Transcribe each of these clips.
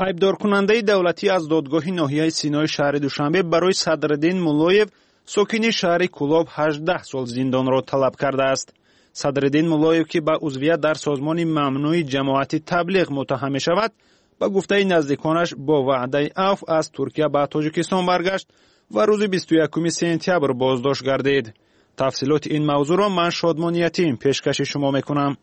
Айбдоркунандаи давлатӣ аз додгоҳи ноҳияи Синои шаҳри Душанбе барои Садриддин Муллоев, сокини шаҳри Кӯлоб, 18 сол зиндонро талаб кардааст. Садриддин Муллоев, ки ба узвият дар созмони мамнӯи ҷамоати Таблиғ муттаҳам мешавад, ба гуфтаи наздиконаш бо ваъдаи афв аз Туркия ба Тоҷикистон баргашт ва рӯзи 21 сентябр боздошт гардид. Тафсилоти ин мавзӯъро ман Шодмон Ятим пешкаши шумо мекунам.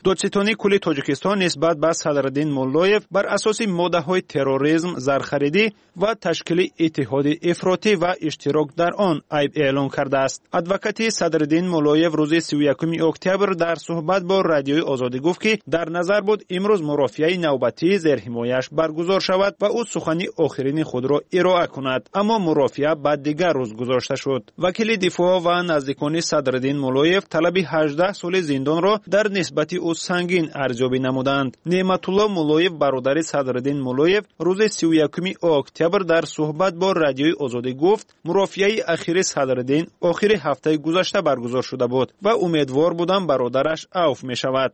Додситонии кулли Тоҷикистон нисбат ба Садриддин Муллоев бар асоси моддаҳои терроризм, зархаридӣ ва ташкили иттиҳоди ифротӣ ва иштирок дар он айб эълон кардааст. Адвокати Садриддин Муллоев рӯзи 31 октябр дар суҳбат бо Радиои Озодӣ гуфт, ки дар назар буд имрӯз мурофиаи навбатии зерҳимояш баргузор шавад ва ӯ сухани охирини худро ироа кунад, аммо мурофиа ба дигар рӯз гузошта шуд. Вакили дифоъ ва наздикони Садриддин Муллоев талаби 18 соли зиндонро дар нисбати ӯ сангин арзёбӣ намуданд. Неъматулло Муллоев, бародари Садриддин Муллоев, рӯзи 31 октябр дар суҳбат бо Радиои Озодӣ гуфт, мурофиаи ахири Садриддин охири ҳафтаи гузашта баргузор шуда буд ва умедвор будам бародараш авф мешавад.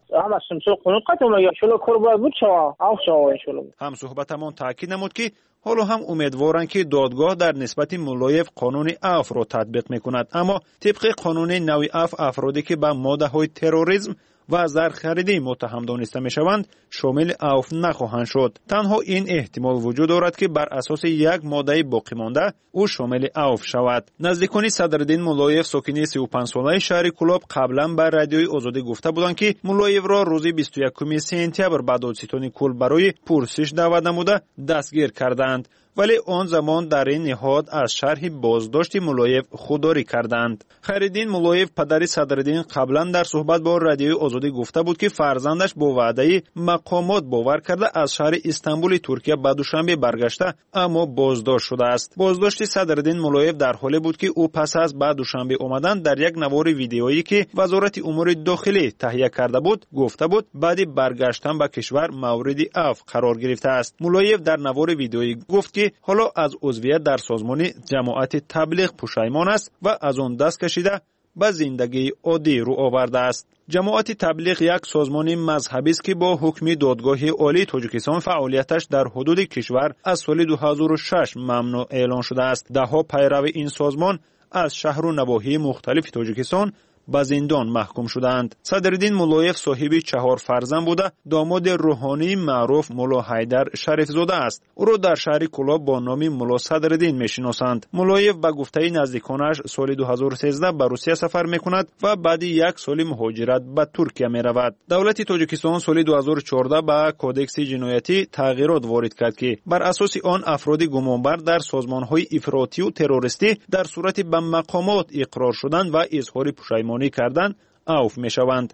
Ҳамсуҳбатамон таъкид намуд, ки ҳоло ҳам умедворанд, ки додгоҳ дар нисбати Муллоев қонуни афвро татбиқ мекунад, аммо тибқи қонуни нави афв афроде ки ба моддаҳои терроризм ва зархаридӣ муттаҳам дониста мешаванд, шомили авф нахоҳанд шуд. Танҳо ин эҳтимол вуҷуд дорад, ки бар асоси як моддаи боқимонда ӯ шомили авф шавад. Наздикони Садриддин Муллоев, сокини 35-солаи шаҳри Кӯлоб, қаблан ба Радиои Озодӣ гуфта буданд, ки Муллоевро рӯзи 21 сентябр ба додситони кул барои пурсиш даъват намуда дастгир кардаанд, вале он замон дар ин ниҳод аз шарҳи боздошти Муллоев худдорӣ карданд. Хайриддин Муллоев, падари Садриддин, қаблан дар суҳбат бо Радиои Озодӣ гуфта буд, ки фарзандаш бо ваъдаи мақомот бовар карда аз шаҳри Истанбули Туркия ба Душанбе баргашта, аммо боздошт шудааст. Боздошти Садриддин Муллоев дар ҳоле буд, ки ӯ пас аз ба Душанбе омадан дар як навори видеоӣ, ки Вазорати умури дохилӣ таҳия карда буд, гуфта буд, баъди баргаштан ба кишвар мавриди афв қарор гирифтааст. Муллоев дар навори видеоӣ гуфт, ки ҳоло аз узвият дар созмони ҷамоати Таблиғ пушаймон аст ва аз он даст кашида ба зиндагии оддӣ рӯ овардааст. Ҷамоати Таблиғ як созмони мазҳабист, ки бо ҳукми Додгоҳи Олии Тоҷикистон фаъолияташ дар ҳудуди кишвар аз соли 2006 мамнӯъ эълон шудааст. Даҳҳо пайрави ин созмон аз шаҳру навоҳии мухталифи Тоҷикистон ба зиндон маҳкум шудаанд. Садриддин Муллоев соҳиби 4 фарзанд буда, домоди рӯҳонии маъруф Мулло Ҳайдар Шарифзода аст. Ӯро дар шаҳри Кӯлоб бо номи Мулло Садриддин мешиносанд. Муллоев ба гуфтаи наздиконаш соли 2013 ба Русия сафар мекунад ва баъди як соли муҳоҷират ба Туркия меравад. Давлати Тоҷикистон соли 2014 ба Кодекси ҷиноятӣ тағйирот ворид кард, ки бар асоси он афроди гумонбар дар созмонҳои ифротию террористӣ дар сурати ба мақомот иқрор шудан ва изҳори пушаймонӣ кардан авф мешаванд.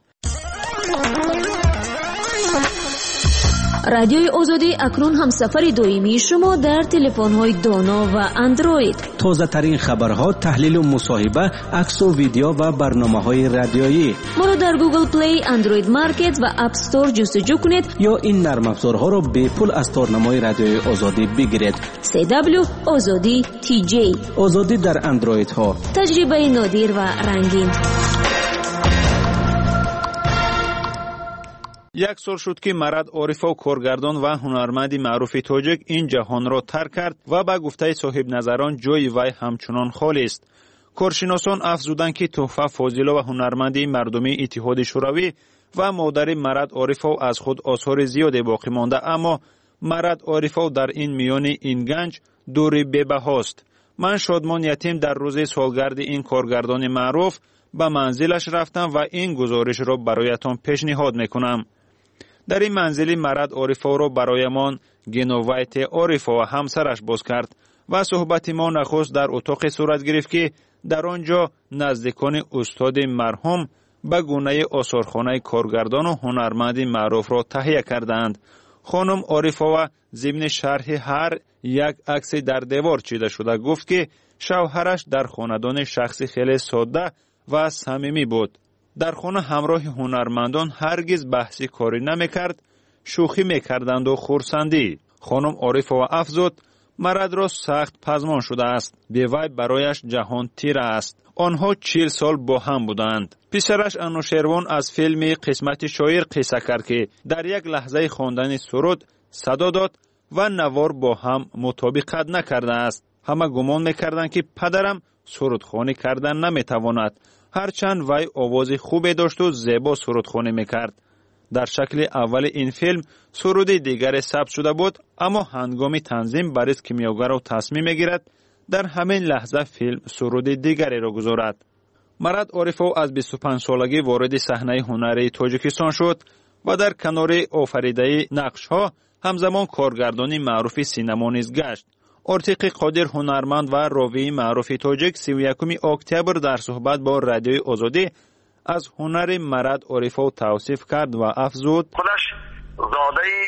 Радиои Озодӣ акнун ҳамсафари доимии шумо дар телефонҳои доно ва Андроид. Тозатарин хабарҳо, таҳлилу мусоҳиба, аксу видео ва барномаҳои радиоӣ. Моро дар Google Play, Android Market ва App Store ҷустуҷӯ кунед ё ин нармафзорҳоро бепул аз торнамои Радиои Озодӣ бигиред. CW Озодӣ TJ. Озодӣ дар Андроидҳо. Таҷрибаи нодир ва рангин. Як сол шуд, ки Марат Орифов, коргардон ва ҳунарманди маъруфи тоҷик, ин ҷаҳонро тарк кард ва ба гуфтаи соҳибназарон ҷои вай ҳамчунон холист. Коршиносон афзуданд, ки Тӯҳфа Фозилова, ҳунарманди мардумии Иттиҳоди Шӯравӣ ва модари Марат Орифов, аз худ осори зиёде боқӣ монда, аммо Марат Орифов дар ин миёни ин ганҷ дури бебаҳост. Ман Шодмон Ятим дар рӯзи солгарди ин коргардони маъруф ба манзилаш рафтам ва ин гузоришро бароятон пешниҳод мекунам. Дар ин манзили Марат Орифовро бароямон Геновайте Орифова ҳамсараш боз кард ва суҳбати мо нахуст дар утоқе сурат гирифт, ки дар он ҷо наздикони устоди марҳум ба гунаи осорхонаи коргардону ҳунарманди маъруфро таҳия кардаанд. Хонум Орифова зимни шарҳи ҳар як акси дар девор чида шуда гуфт, ки шавҳараш дар хонадони шахси хеле содда ва самимӣ буд. Дар хона ҳамроҳи ҳунармандон ҳаргиз баҳси корӣ намекард, шӯхӣ мекарданду хурсандӣ. Хонум Орифова афзуд, Маратро сахт пазмон шудааст. Бевай барояш ҷаҳон тира аст. Онҳо 40 сол бо ҳам буданд. Писараш Анушервон аз филми Қисмати шоир қисса кард, ки дар як лаҳзаи хондани суруд садо дод: ва навор бо ҳам мутобиқат накардааст. Ҳама гумон мекарданд, ки падарам сурудхонӣ кардан наметавонад, ҳарчанд вай овози хубе дошту зебо сурудхонӣ мекард. Дар шакли аввали ин филм суруди дигаре сабт шуда буд, аммо ҳангоми танзим Борис Кимёгаров тасмим мегирад дар ҳамин лаҳза филм суруди дигареро гузорад. Марат Орифов аз 25-солагӣ вориди саҳнаи ҳунарии Тоҷикистон шуд ва дар канори офаридаи нақшҳо ҳамзамон коргардони маъруфи синамо низ гашт. Ортиқи Қодир, ҳунарманд ва ровии маъруфи тоҷик, 31 октябр дар суҳбат бо Радиои Озодӣ аз ҳунари Марат Орифов тавсиф кард ва афзуд: Худаш зодаи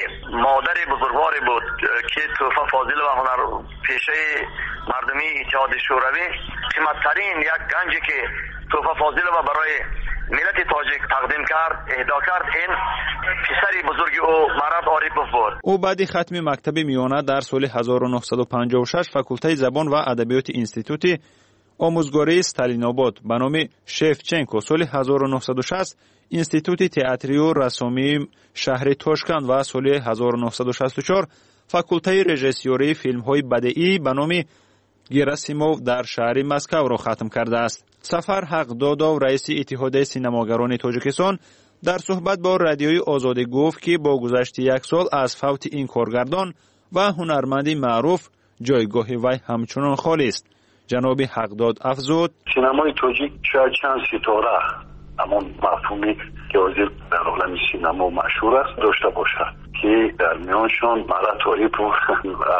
модари бузургворе буд, ки Тӯҳфа Фозилова, ҳунарпешаи мардумии Иттиҳоди Шӯравӣ. Қиматтарин як ганҷе, ки Тӯҳфа Фозилова барои миллати тоҷик тақдим кард, иҳдо кард, ин писари бузурги ӯ Марат Орипов буд. Ӯ баъди хатми мактаби миёна дар соли 1956 факултаи забон ва адабиёти Институти омӯзгории Сталинобод ба номи Шевченко, соли 1960 Институти театрию рассомии шаҳри Тошканд ва соли 1964 факултаи режиссёрии филмҳои бадеӣ ба номи Герасимов дар шаҳри Москавро хатм кардааст. Сафар Ҳақдодов, раиси Иттиҳодияи синамогарони Тоҷикистон, дар суҳбат бо Радиои Озодӣ гуфт, ки бо гузашти як сол аз фавти ин коргардон ва ҳунарманди маъруф ҷойгоҳи вай ҳамчунон холист. Ҷаноби Ҳақдод афзуд: Синамои тоҷик шояд чанд ситора, ҳамон мафҳуме ки ҳозир дар олами синамо машҳур аст, дошта бошад, ки дар миёншон Марат Орипов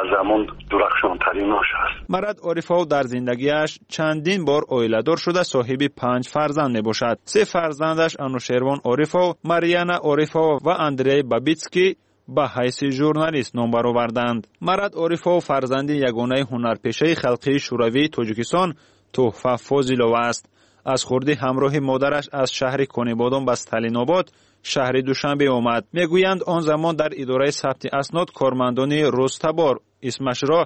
аз ҳамон дурахшонтаринаш аст. Марат Орифов дар зиндагиаш чандин бор оиладор шуда, соҳиби панҷ фарзанд мебошад. Се фарзандаш, Анушервон Орифов, Марьяна Орифова ва Андрей Бабитский, ба ҳайси журналист ном бароварданд. Марат Орифов фарзанди ягонаи ҳунарпешаи халқии Шӯравии Тоҷикистон Тӯҳфа Фозилова аст. Аз хурдӣ ҳамроҳи модараш аз шаҳри Конибодом ба Сталинобод, шаҳри Душанбе омад. Мегӯянд, он замон дар идораи сабти аснод кормандони рӯзтабор исмашро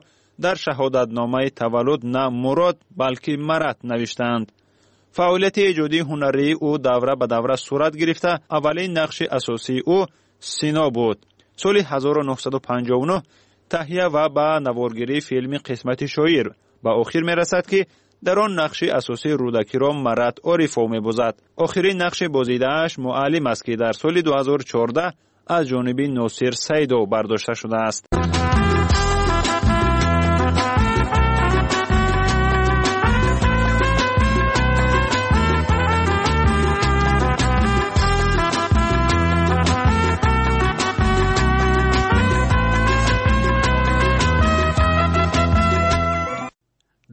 дар шаҳодатномаи таваллуд на Мурод, балки Марат навиштаанд. Фаъолияти эҷодии ҳунарии ӯ давра ба давра сурат гирифта, аввалин нақши асосии ӯ Сино буд. Соли 1959 таҳия ва ба наворгирии филми «Қисмати шоир» ба охир мерасад, ки дар он нақши асосии Рӯдакиро Марат Орифов мебозад. Охирин нақши бозидааш «Муаллим» аст, ки дар соли 2014 аз ҷониби Носир Саидов бардошта шудааст.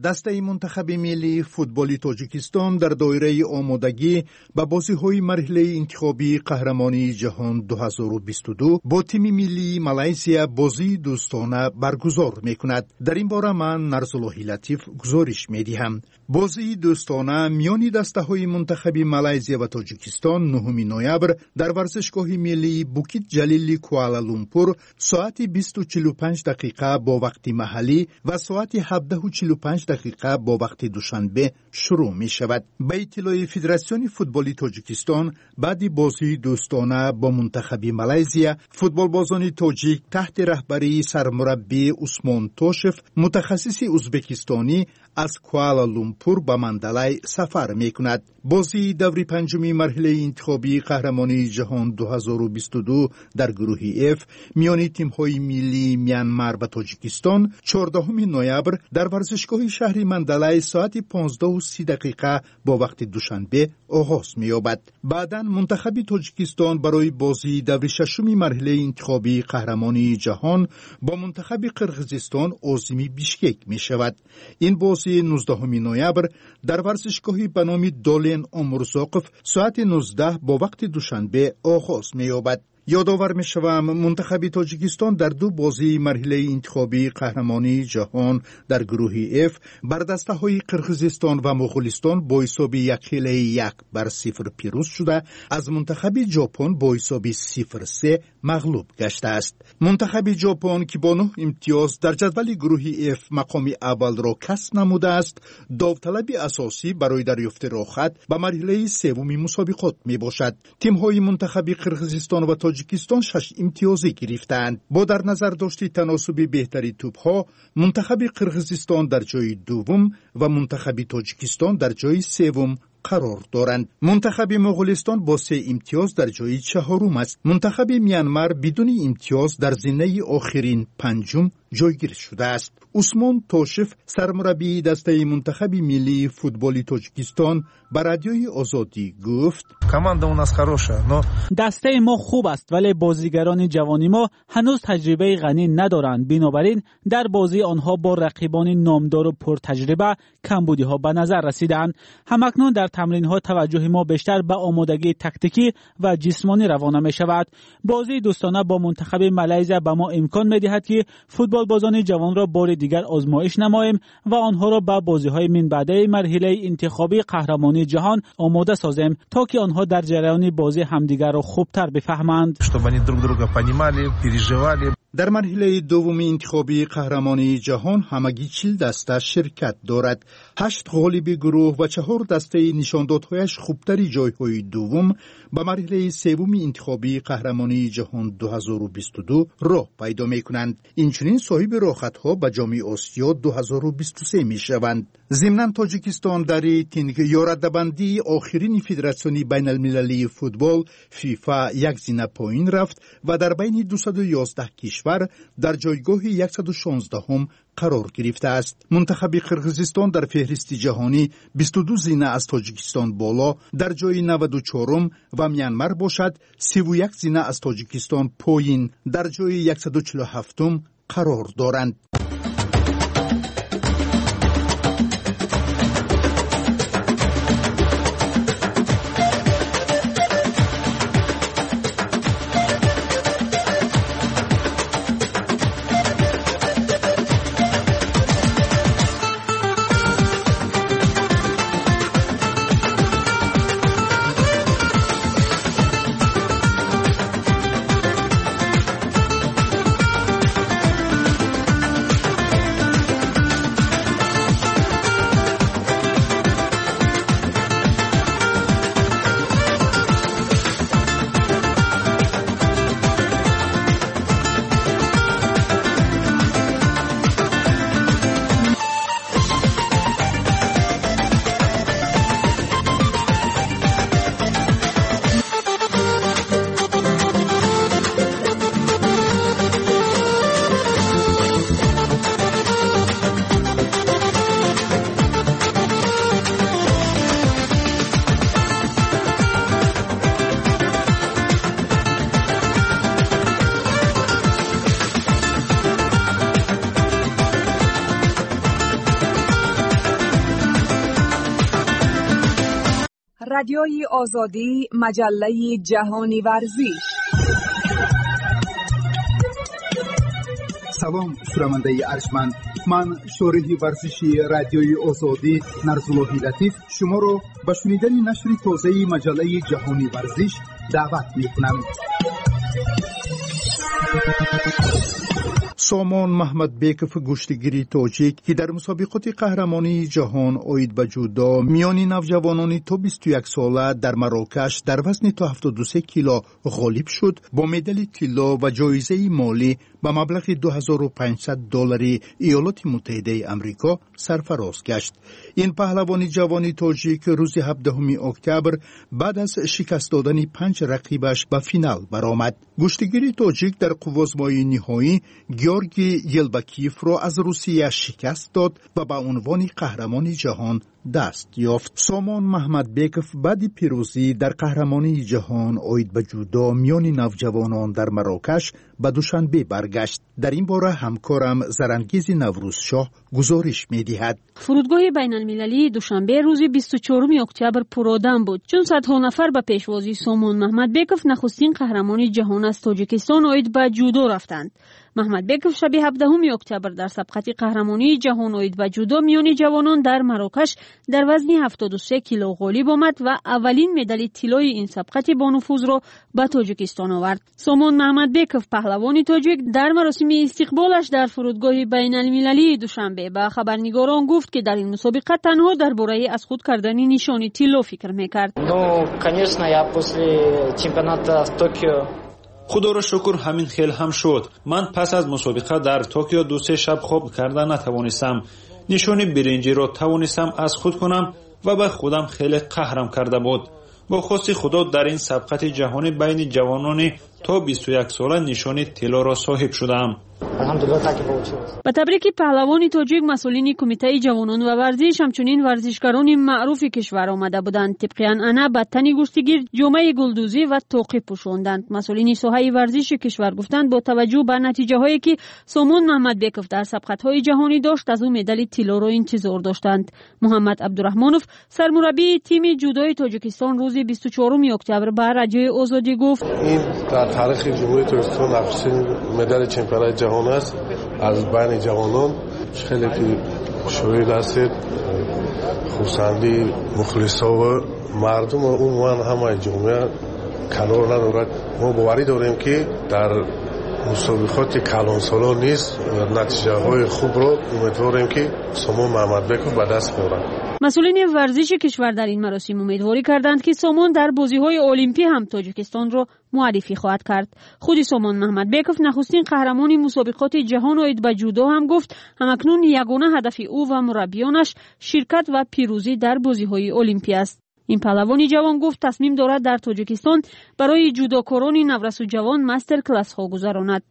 Дастаи мунтахаби миллии футболи Тоҷикистон дар доираи омодагӣ ба бозиҳои марҳилаи интихобии қаҳрамонии ҷаҳон 2022 бо тими миллии Малайзия бозии дӯстона баргузор мекунад. Дар ин бора ман, Нарзуллоҳи Латиф, гузориш медиҳам. Бозии дӯстона миёни дастаҳои мунтахаби Малайзия ва Тоҷикистон 9 ноябр дар варзишгоҳи миллии Букит Ҷалили Куала Лумпур соати 20:45 дақиқа бо вақти маҳаллӣ ва соати 17:45 дақиқа бо вақти Душанбе шурӯъ мешавад. Ба иттилои Федератсиони футболи Тоҷикистон, баъди бозии дӯстона бо мунтахаби Малайзия футболбозони тоҷик таҳти раҳбарии сармураббӣ Усмон Тошев, мутахассиси узбекистонӣ, аз Куала Лумпур ба Мандалай сафар мекунад. Бозии даври панҷуми марҳилаи интихобии қаҳрамонии ҷаҳон 2022 дар гурӯҳи Ф миёни тимҳои миллии Мянмар ва Тоҷикистон 14 ноябр дар варзишгоҳи шаҳри Мандалай соати 15:30 дақиқа бо вақти Душанбе оғоз меёбад. Баъдан мунтахаби Тоҷикистон барои бозии даври шашуми марҳилаи интихобии қаҳрамонии ҷаҳон бо мунтахаби Қирғизистон озими Бишкек мешавад. Ин бозӣ 19 ноябр дар варзишгоҳи ба номи Долен Омурзоқов соати 19 бо вақти Душанбе оғоз меёбад. Ёдовар мешавам, мунтахаби Тоҷикистон дар ду бозии марҳилаи интихобии қаҳрамонии ҷаҳон дар гурӯҳи Ф бар дастаҳои Қирғизистон ва Моғулистон бо ҳисоби якхелаи 1-0 пирӯз шуда, аз мунтахаби Ҷопон бо ҳисоби 0-3 мағлуб гаштааст. Мунтахаби Ҷопон, ки бо нӯҳ имтиёз дар ҷадвали гурӯҳи Ф мақоми аввалро касб намудааст, довталаби асосӣ барои дарёфти роҳхат ба марҳилаи севуми мусобиқот мебошад. Тимҳои мунтахаби Қирғизистон ва Тоҷикистон 6 имтиёзӣ гирифтаанд. Бо дар назар дошти таносуби беҳтари тӯбҳо, мунтахаби Қирғизистон дар ҷои дуввум ва мунтахаби Тоҷикистон дар ҷои севум қарор доранд. Мунтахаби Моғулистон бо 3 имтиёз дар ҷои чаҳорум аст. Мунтахаби Мянмар бидуни имтиёз дар зинаи охирин панҷум ҷойгир шудааст. Усмон Тошев, сармураббии дастаи мунтахаби миллии футболи Тоҷикистон, ба Радиои Озодӣ гуфт: Команда у нас хорошая, но дастаи мо хуб аст, вале бозигарони ҷавони мо ҳанӯз таҷрибаи ғанӣ надоранд. Бинобар ин дар бозии онҳо бо рақибони номдору пуртаҷриба камбудиҳо ба назар расидаанд. Ҳамакнун дар тамринҳо таваҷҷӯҳи мо бештар ба омодагии тактикӣ ва ҷисмонӣ равона мешавад. Бозии дӯстона бо мунтахаби Малайзия ба мо имкон медиҳад, ки футболбозони ҷавонро бори дигар озмоиш намоем ва онҳоро ба бозиҳои минбаъдаи марҳилаи интихобии қаҳрамонии ҷаҳон омода созем, то ки онҳо дар ҷараёни бозӣ ҳамдигарро хубтар бифаҳманд. Чтобы они друг друга понимали, переживали. Дар марҳилаи дуввуми интихобии қаҳрамонии ҷаҳон ҳамагӣ 40 даста ширкат дорад. 8 ғолиби гурӯҳ ва 4 дастаи нишондодҳояш хубтари ҷойҳои дуввум ба марҳилаи севуми интихобии қаҳрамонии ҷаҳон 2022 роҳ пайдо мекунанд. Инчунин соҳиби роҳхатҳо ба Ҷоми Осиё 2023 мешаванд. Зимнан Тоҷикистон дар рейтинг ё раддабандии охирини Федератсиони байналмилалии футбол ФИФА як зина поин рафт ва дар байни 211 кишвар дар ҷойгоҳи 116-ум қарор гирифтааст. Мунтахаби Қирғизистон дар феҳристи ҷаҳонӣ 22 зина аз Тоҷикистон боло дар ҷои 94-ум ва Мянмар бошад 31 зина аз Тоҷикистон поин дар ҷои 147-ум қарор доранд. رادیوی آزادی، مجله جهانی ورزش. Салом, шунавандаи арҷманд. Ман шориҳи варзиши Радиои Озодӣ Нарзуллоҳи Латиф шуморо ба шунидани нашри тозаи маҷаллаи ҷаҳони варзиш даъват мекунам. Сомон Маҳмадбеков, гӯштигири тоҷик, ки дар мусобиқоти қаҳрамонии ҷаҳон оид ба ҷудо миёни навҷавонони то 21 сола дар Марокаш дар вазни то 73 кило ғолиб шуд, бо медали тилло ва ҷоизаи молӣ ба маблағи 2500 доллари Иёлоти Муттаҳидаи Амрико сарфароз гашт. Ин паҳлавони ҷавони тоҷик рӯзи 17 октябр баъд аз шикаст додани 5 рақибаш ба финал баромад. Гӯштигири тоҷик дар қуввозмоии ниҳоӣ Георгий Елбакиевро аз Русия шикаст дод ва ба унвони қаҳрамони ҷаҳон даст ёфт. Сомон Маҳмадбеков баъди пирӯзӣ дар қаҳрамонии ҷаҳон оид ба ҷудо миёни навҷавонон дар Марокаш ба Душанбе баргашт. Дар ин бора ҳамкорам Зарангизи Наврӯзшоҳ гузориш медиҳад. Фурудгоҳи байналмилалии Душанбе рӯзи 24 октябр пуродам буд, чун садҳо нафар ба пешвозии Сомон Маҳмадбеков, нахустин қаҳрамони ҷаҳон аз Тоҷикистон оид ба ҷудо рафтанд. Маҳмадбеков шаби 17 октябр дар сабқати қаҳрамонии ҷаҳон оид ба ҷудо миёни ҷавонон дар Марокаш дар вазни 73 кило ғолиб омад ва аввалин медали тиллои ин сабқати бонуфузро ба Тоҷикистон овард. Сомон Маҳмадбеков, паҳлавони тоҷик, дар маросими истиқболаш дар фурудгоҳи байналмилалии Душанбе ба хабарнигорон гуфт, ки дар ин мусобиқа танҳо дар бораи аз худ кардани нишони тилло фикр мекард. Ну, конечно, я после чемпионата в Токио. Худоро шукр, ҳамин хел ҳам шуд. Ман пас аз мусобиқа дар Токио 2-3 шаб хоб карда натавонистам. Нишони биринҷиро тавонистам аз худ кунам ва ба худам хеле қаҳрам карда буд. Бо хости Худо дар ин сабқати ҷаҳонӣ байни ҷавонони то 21 сола нишони тиллоро соҳиб шудаам. Ба табрики паҳлавони тоҷик масъулини Кумитаи ҷавонон ва варзиш, ҳамчунин варзишгарони маъруфи кишвар омада буданд. Тибқи анъана ба тани гӯштигир ҷомаи гулдӯзӣ ва тоқӣ пӯшонданд. Масъулини соҳаи варзиши кишвар гуфтанд, бо таваҷҷӯҳ ба натиҷаҳое ки Сомон Маҳмадбеков дар сабқатҳои ҷаҳонӣ дошт, аз ӯ медали тиллоро интизор доштанд. Муҳаммад Абдураҳмонов, сармураббии тими ҷудои Тоҷикистон, рӯзи 24 октябр ба Радиои Озодӣ гуфт: ин дар таърихи Ҷумҳурии Тоҷикистон нахустин медали чемпионати ҷаҳон аст аз байни ҷавонон. Хеле ки шоҳид ҳастед, хурсандии мухлисову мардум ва умуман ҳамаи ҷомеа канор надорад. Мо боварӣ дорем, ки дар мусобиқоти калонсолон низ натиҷаҳои хубро умедворем, ки Сомон Маҳмадбеков ба даст меорад. Масъулини варзиши кишвар дар ин маросим умедворӣ карданд, ки Сомон дар бозиҳои олимпӣ ҳам Тоҷикистонро муаррифӣ хоҳад кард. Худи Сомон Маҳмадбеков, нахустин қаҳрамони мусобиқоти ҷаҳон оид ба ҷудо, ҳам гуфт, ҳамакнун ягона ҳадафи ӯ ва мураббиёнаш ширкат ва пирӯзӣ дар бозиҳои олимпӣ аст. Ин паҳлавони ҷавон гуфт, тасмим дорад дар Тоҷикистон барои ҷудокорони наврасу ҷавон мастер-классҳо гузаронад.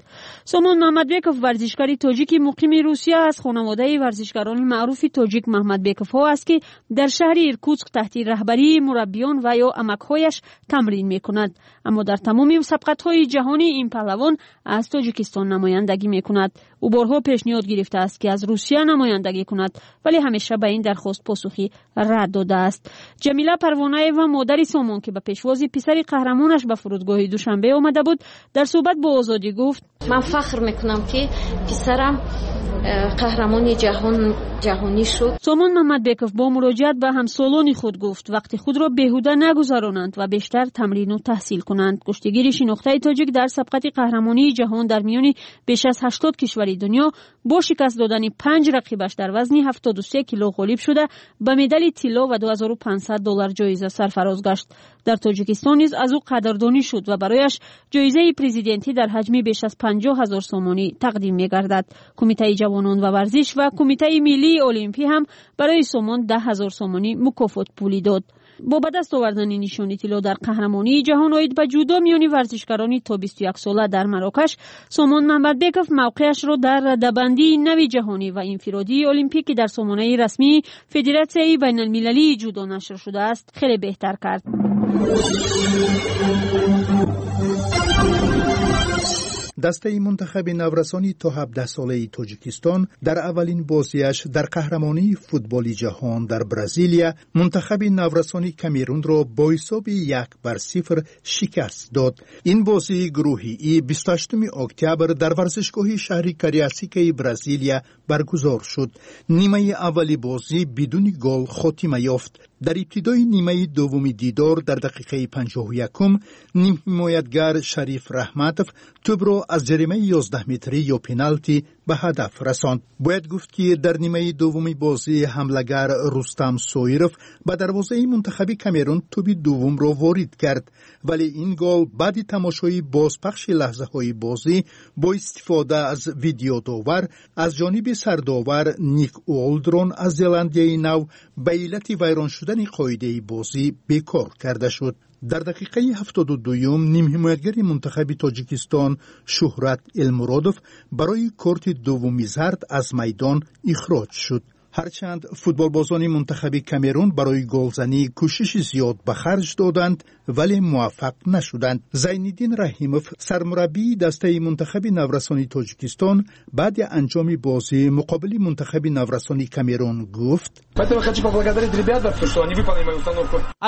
Сомон Маҳмадбеков варзишгари тоҷики муқими Русия аз хонаводаи варзишгарони маъруфи тоҷик Маҳмадбековҳо аст, ки дар шаҳри Иркутск таҳти раҳбарии мураббиён ва ё амакҳояш тамрин мекунад. Аммо дар тамоми сабқатҳои ҷаҳонӣ ин паҳлавон аз Тоҷикистон намояндагӣ мекунад. Ӯ борҳо пешниҳод гирифтааст, ки аз Русия намояндагӣ кунад, вале ҳамеша ба ин дархост посухӣ рад додааст. Ҷамила Парвонаева, модари Сомон, ки ба пешвози писари қаҳрамонаш ба фурудгоҳи Душанбе омада буд, дар суҳбат бо Озодӣ гуфт: ман фахр мекунам, ки писарам қаҳрамони ҷаҳонӣ шуд. Сомон Маҳмадбеков бо муроҷиат ба ҳамсолони худ гуфт, вақти худро беҳуда нагузаронанд ва бештар тамрину таҳсил кунанд. Гӯштигири шинохтаи тоҷик дар сабқати қаҳрамонии ҷаҳон дар миёни беш аз 80 кишвари дунё бо шикаст додани 5 рақибаш дар вазни 73 кило ғолиб шуда, ба медали тилло ва 2500 доллар ҷоиза сарфароз гашт. Дар Тоҷикистон низ аз ӯ қадрдонӣ шуд ва барояш ҷоизаи президентӣ дар ҳаҷми беш аз 50 000 сомонӣ тақдим мегардад. Кумитаи ҷавонон ва варзиш ва Кумитаи миллии олимпӣ ҳам барои Сомон 10 000 сомонӣ мукофот пулӣ дод. Бо ба даст овардани нишони тилло дар қаҳрамонии ҷаҳон оид ба ҷудо миёни варзишгарони то 21 сола дар Марокаш, Сомон Маҳмадбеков мавқеашро дар радабандии нави ҷаҳонӣ ва инфиродии олимпӣ, ки дар сомонаи расмии Федератсияи байналмилалии ҷудо нашр шудааст, хеле беҳтар кард. Дастаи мунтахаби наврасони то 17-солаи Тоҷикистон дар аввалин бозиаш дар қаҳрамонии футболи ҷаҳон дар Бразилия мунтахаби наврасони Камерунро бо ҳисоби 1-0 шикаст дод. Ин бозии гурӯҳи И 28 октябр дар варзишгоҳи шаҳри Кариасикаи Бразилия баргузор шуд. Нимаи аввали бозӣ бидуни гол хотима ёфт. Дар ибтидои нимаи дуввуми дидор дар дақиқаи 51 нимҳимоятгар Шариф Раҳматов тӯбро аз ҷаримаи 11 метрӣ ё пеналти ба ҳадаф расонд. Бояд гуфт, ки дар нимаи дуввуми бозӣ ҳамлагар Рустам Соиров ба дарвозаи мунтахаби Камерун тӯби дуввумро ворид кард, вале ин гол баъди тамошои бозпахши лаҳзаҳои бозӣ бо истифода аз видеодовар аз ҷониби сардовар Ник Уолдрон аз Зеландияи Нав ба иллати вайрон шудани қоидаи бозӣ бекор карда шуд. Дар дақиқаи 72 нимҳимоятгари мунтахаби Тоҷикистон Шуҳрат Элмуродов барои корти дуввуми зард аз майдон ихроҷ шуд. Ҳарчанд футболбозони мунтахаби Камерун барои голзанӣ кӯшиши зиёд ба харҷ доданд, вале муваффақ нашуданд. Зайниддин Раҳимов, сармураббии дастаи мунтахаби наврасони Тоҷикистон, баъди анҷоми бозӣ муқобили мунтахаби наврасони Камерун гуфт: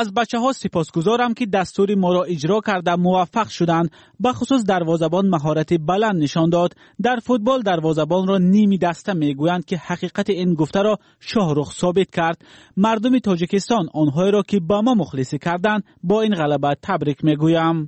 аз бачаҳо сипосгузорам, ки дастури моро иҷро карда муваффақ шуданд. Бахусус дарвозабон маҳорати баланд нишон дод. Дар футбол дарвозабонро ними даста мегӯянд, ки ҳақиқати ин гуфтаро Шоҳрух собит кард. Мардуми Тоҷикистон, онҳоеро ки ба мо мухлисӣ карданд, бо ин ғалаба табрик мегӯям.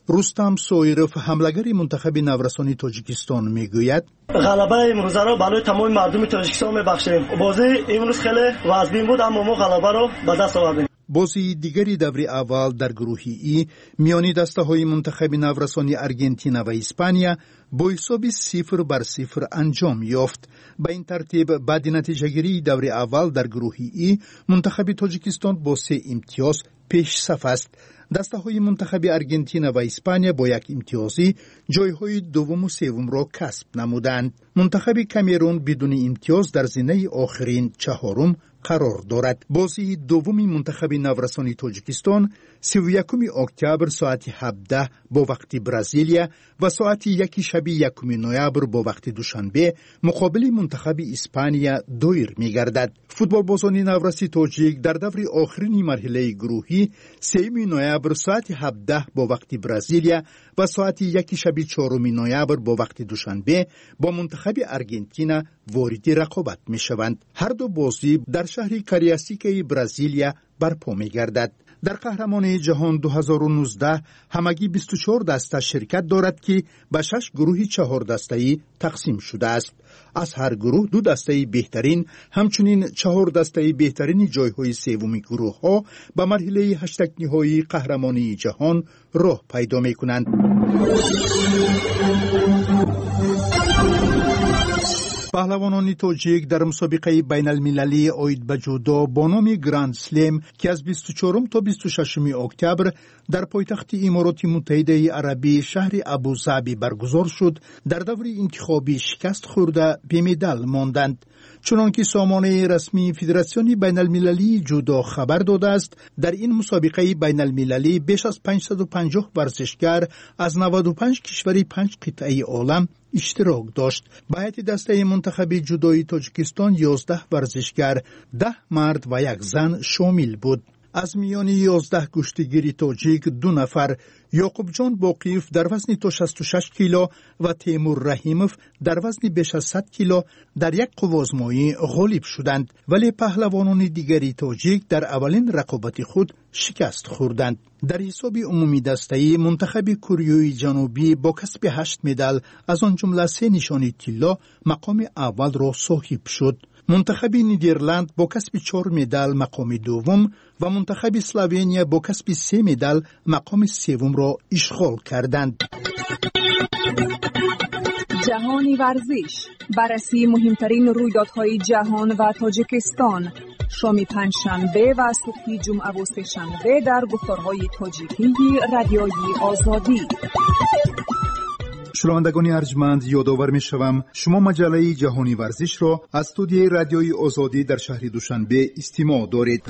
Рустам Соиров, ҳамлагари мунтахаби наврасони Тоҷикистон, мегӯяд: ғалабаи имрӯзаро барои тамоми мардуми Тоҷикистон мебахшем. Бозии имрӯз хеле вазнин буд, аммо мо ғалабаро ба даст овардем. Бозии дигари даври аввал дар гурӯҳи И миёни дастаҳои мунтахаби наврасони Аргентина ва Испания бо ҳисоби 0-0 анҷом ёфт. Ба ин тартиб, баъди натиҷагирии даври аввал дар гурӯҳи И мунтахаби Тоҷикистон бо се имтиёз пешсаф аст. Дастаҳои мунтахаби Аргентина ва Испания бо як имтиёзӣ ҷойҳои дуввуму севумро касб намуданд. Мунтахаби Камерун бидуни имтиёз дар зинаи охирин, чаҳорум қарор дорад. Бозии дуввуми мунтахаби наврасони Тоҷикистон 31 октябр соати 17 бо вақти Бразилия ва соати 1 шаби 1 ноябр бо вақти Душанбе муқобили мунтахаби Испания доир мегардад. Футболбозони навраси тоҷик дар даври охирини марҳилаи гурӯҳӣ 3 ноябр соати 17 бо вақти Бразилия ва соати 1 шаби 4 ноябр бо вақти Душанбе бо мунтахаби Аргентина вориди рақобат мешаванд. Ҳар ду бозӣ дар шаҳри Кариасикаи Бразилия барпо мегардад. Дар қаҳрамонии ҷаҳон 2019 ҳамагӣ 24 даста ширкат дорад, ки ба шаш гурӯҳи чаҳордастаӣ тақсим шудааст. Аз ҳар гурӯҳ ду дастаи беҳтарин, ҳамчунин чаҳор дастаи беҳтарини ҷойҳои севуми гурӯҳҳо ба марҳилаи ҳаштакниҳоии қаҳрамонии ҷаҳон роҳ пайдо мекунанд. Паҳлавонони тоҷик дар мусобиқаи байналмилалии оид ба ҷудо бо номи Гранд Слем, ки аз 24 то 26 октябр дар пойтахти Имороти Муттаҳидаи Арабӣ, шаҳри Абузаби баргузор шуд, дар даври интихобӣ шикаст хӯрда, бемедал монданд. Чунон ки сомонаи расмии Федератсиони байналмилалии ҷудо хабар додааст, дар ин мусобиқаи байналмилалӣ беш аз 550 варзишгар аз 95 кишвари панҷ қитъаи олам иштирок дошт. Ба ҳайати дастаи мунтахаби ҷудои Тоҷикистон 11 варзишгар, 10 мард ва як зан шомил буд. Аз миёни 11 гӯштигири тоҷик ду нафар, Ёқубҷон Боқиев дар вазни то 66 кило ва Темур Раҳимов дар вазни беш аз 100 кило, дар як қуввозмоӣ ғолиб шуданд, вале паҳлавонони дигари тоҷик дар аввалин рақобати худ шикаст хӯрданд. Дар ҳисоби умумидастаӣ мунтахаби Кӯрёи Ҷанубӣ бо касби ҳашт медал, аз он ҷумла се нишони тилло, мақоми аввалро соҳиб шуд. Мунтахаби Нидерланд бо касби чор медал мақоми дуввум ва мунтахаби Словения бо касби се медал мақоми севумро ишғол карданд. Ҷаҳони варзиш, баррасии муҳимтарин рӯйдодҳои ҷаҳон ва Тоҷикистон, шоми панҷшанбе ва субҳи ҷумъаву сешанбе дар гуфторҳои тоҷикии Радиои Озодӣ. Шунавандагони арҷманд, ёдовар мешавам, шумо маҷаллаи Ҷаҳони варзишро аз студияи Радиои Озодӣ дар шаҳри Душанбе истимоъ доред.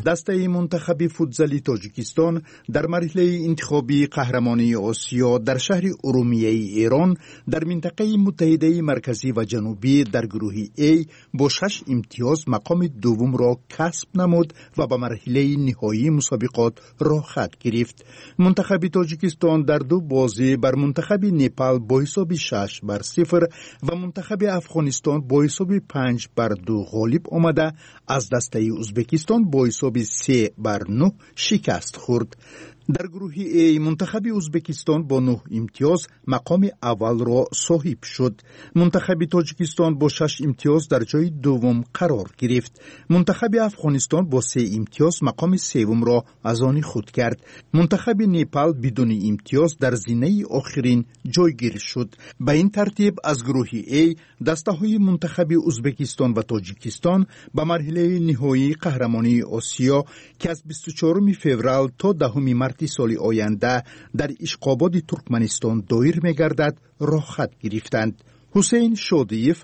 Дастаи мунтахаби футзали Тоҷикистон дар марҳилаи интихобии қаҳрамонии Осиё дар шаҳри Урумияи Эрон дар минтақаи Муттаҳидаи Марказӣ ва Ҷанубӣ дар гурӯҳи А бо шаш имтиёз мақоми дуввумро касб намуд ва ба марҳилаи ниҳоии мусобиқот роҳхат гирифт. Мунтахаби Тоҷикистон дар ду бозӣ бар мунтахаби Непал бо ҳисоби 6-0 ва мунтахаби Афғонистон бо ҳисоби 5-2 ғолиб омада, аз дастаи Узбекистон бо ҳисоби 3-9 шикаст хӯрд. Дар гурӯҳи А мунтахаби Узбекистон бо нӯҳ имтиёз мақоми аввалро соҳиб шуд. Мунтахаби Тоҷикистон бо шаш имтиёз дар ҷои дуввум қарор гирифт. Мунтахаби Афғонистон бо се имтиёз мақоми севумро аз они худ кард. Мунтахаби Непал бидуни имтиёз дар зинаи охирин ҷойгир шуд. Ба ин тартиб, аз гурӯҳи А дастаҳои мунтахаби Узбекистон ва Тоҷикистон ба марҳилаи ниҳоии қаҳрамонии Осиё, ки аз 24 феврал то 10 марти соли оянда дар Ишқободи Туркманистон доир мегардад, роҳхат гирифтанд. Ҳусейн Шодиев,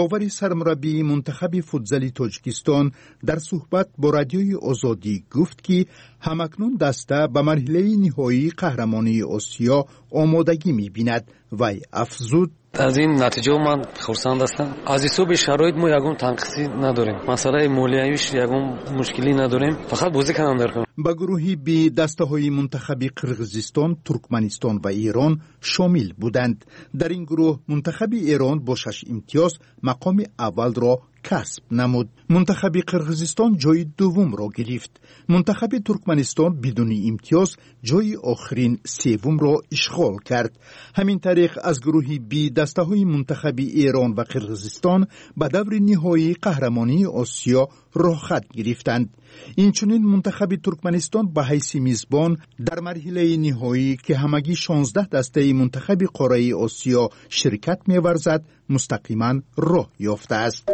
ёвари сармураббии мунтахаби футзали Тоҷикистон, дар суҳбат бо Радиои Озодӣ гуфт, ки ҳамакнун даста ба марҳилаи ниҳоии қаҳрамонии Осиё омодагӣ мебинад. Вай афзуд: Аз ин натиҷао ман хурсанд ҳастам. Аз ҳисоби шароит мо ягон танқисӣ надорем, масъалаи молиявиш ягон мушкилӣ надорем, фақат бозӣ кардан дар кор. Ба гурӯҳи Б дастаҳои мунтахаби Қирғизистон, Туркманистон ва Эрон шомил буданд. Дар ин гурӯҳ мунтахаби Эрон бо шаш имтиёз мақоми аввалро касб намуд. Мунтахаби Қирғизистон ҷойи дуввумро гирифт. Мунтахаби Туркманистон бидуни имтиёз ҷойи охирин севумро ишғол кард. Ҳамин тариқ аз гурӯҳи Би дастаҳои мунтахаби Эрон ва Қирғизистон ба даври ниҳоии қаҳрамонии Осиё роҳхат гирифтанд. Инчунин мунтахаби Туркманистон ба ҳайси мизбон дар марҳилаи ниҳоӣ, ки ҳамагӣ 16 дастаи мунтахаби қораи Осиё ширкат меварзад, мустақиман роҳ ёфтааст.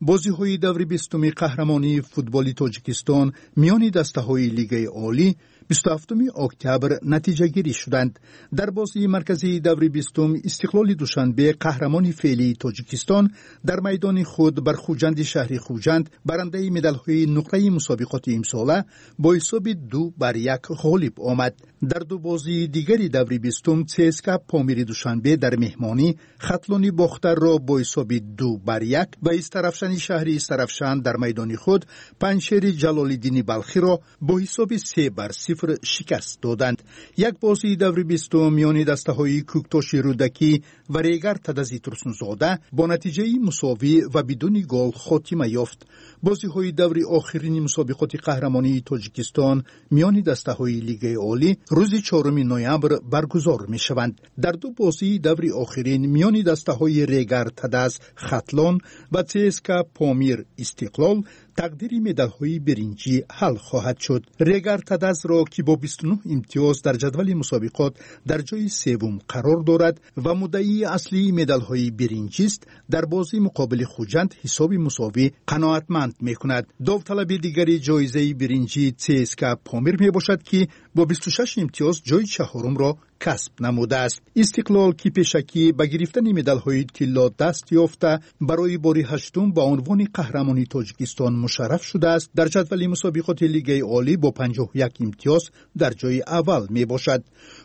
Бозиҳои даври 20-уми қаҳрамонии футболи Тоҷикистон миёни дастаҳои Лигаи Олӣ 27 октябр натиҷагирӣ шуданд. Дар бозии марказии даври 20-ум Истиқлоли Душанбе, қаҳрамони феълии Тоҷикистон, дар майдони худ бар Хуҷанди шаҳри Хуҷанд, барандаи медалҳои нуқраи мусобиқоти имсола, бо ҳисоби 2-1 ғолиб омад. Дар ду бозии дигари даври 20-ум ЦСКА Помири Душанбе дар меҳмонӣ Хатлони Бохтарро бо ҳисоби 2-1 ва Истарафшани шаҳри Истарафшан дар майдони худ Панҷшери Ҷалолиддини Балхиро бо ҳисоби 3-0 шикаст доданд. Як бозии даври 20-ум миёни дастаҳои Кӯктоши Рӯдакӣ ва Регар Тадази Турсунзода бо натиҷаи мусовӣ ва бидуни гол хотима ёфт. Бозиҳои даври охирини мусобиқоти қаҳрамонии Тоҷикистон миёни дастаҳои Лигаи Олӣ рӯзи 4 ноябр баргузор мешаванд. Дар ду бозии даври охирин миёни дастаҳои Регар Тадаз Хатлон ва ЦСКА Помир Истиқлол тақдири медалҳои биринҷӣ ҳал хоҳад шуд. Регар Тадазро, ки бо 29 имтиёз дар ҷадвали мусобиқот дар ҷои севум қарор дорад ва муддаии аслии медалҳои биринҷист, дар бозии муқобили Хуҷанд ҳисоби мусовӣ қаноатманд мекунад. Довталаби дигари ҷоизаи биринҷӣ ЦСКА Помир мебошад, ки бо 26 имтиёз ҷои чаҳорумро касб намудааст. Истиқлол, ки пешакӣ ба гирифтани медалҳои тилло даст ёфта, барои бори ҳаштум ба унвони қаҳрамони Тоҷикистон мушарраф шудааст, дар ҷадвали мусобиқоти Лигаи Олӣ бо 51 имтиёз дар ҷои аввал мебошад.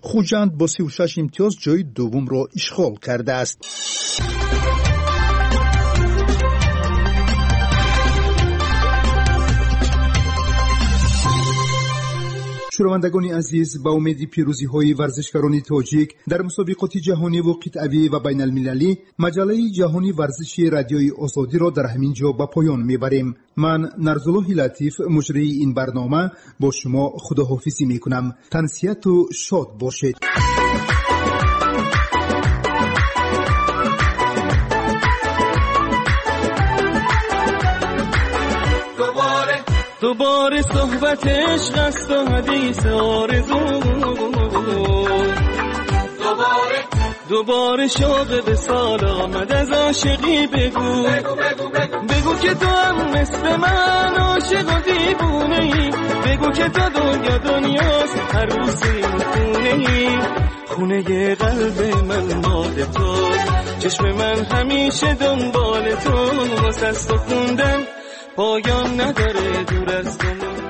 Хуҷанд бо 36 имтиёз ҷои дуввумро ишғол кардааст. Шунавандагони азиз, ба умеди пирӯзиҳои варзишгарони тоҷик дар мусобиқоти ҷаҳониву қитъавӣ ва байналмилалӣ, маҷаллаи ҷаҳони варзиши Радиои Озодиро дар ҳамин ҷо ба поён мебарем. Ман Нарзуллоҳи Латиф, муҷрии ин барнома, бо шумо худоҳофизӣ мекунам. Тансиҳату шод бошед. دوباره صحبت عشق است و حدیث آرزو، دوباره شوق به سال آمد از عاشقی بگو، بگو بگو بگو بگو که تو هم مثل من عاشق و دیوونه ای، بگو که تو دنیا دنیاست عروس این خونه ای، خونه قلب من مال تو، چشم من همیشه دنبال تو، واسه تو خوندن پایان نداره دور از تو.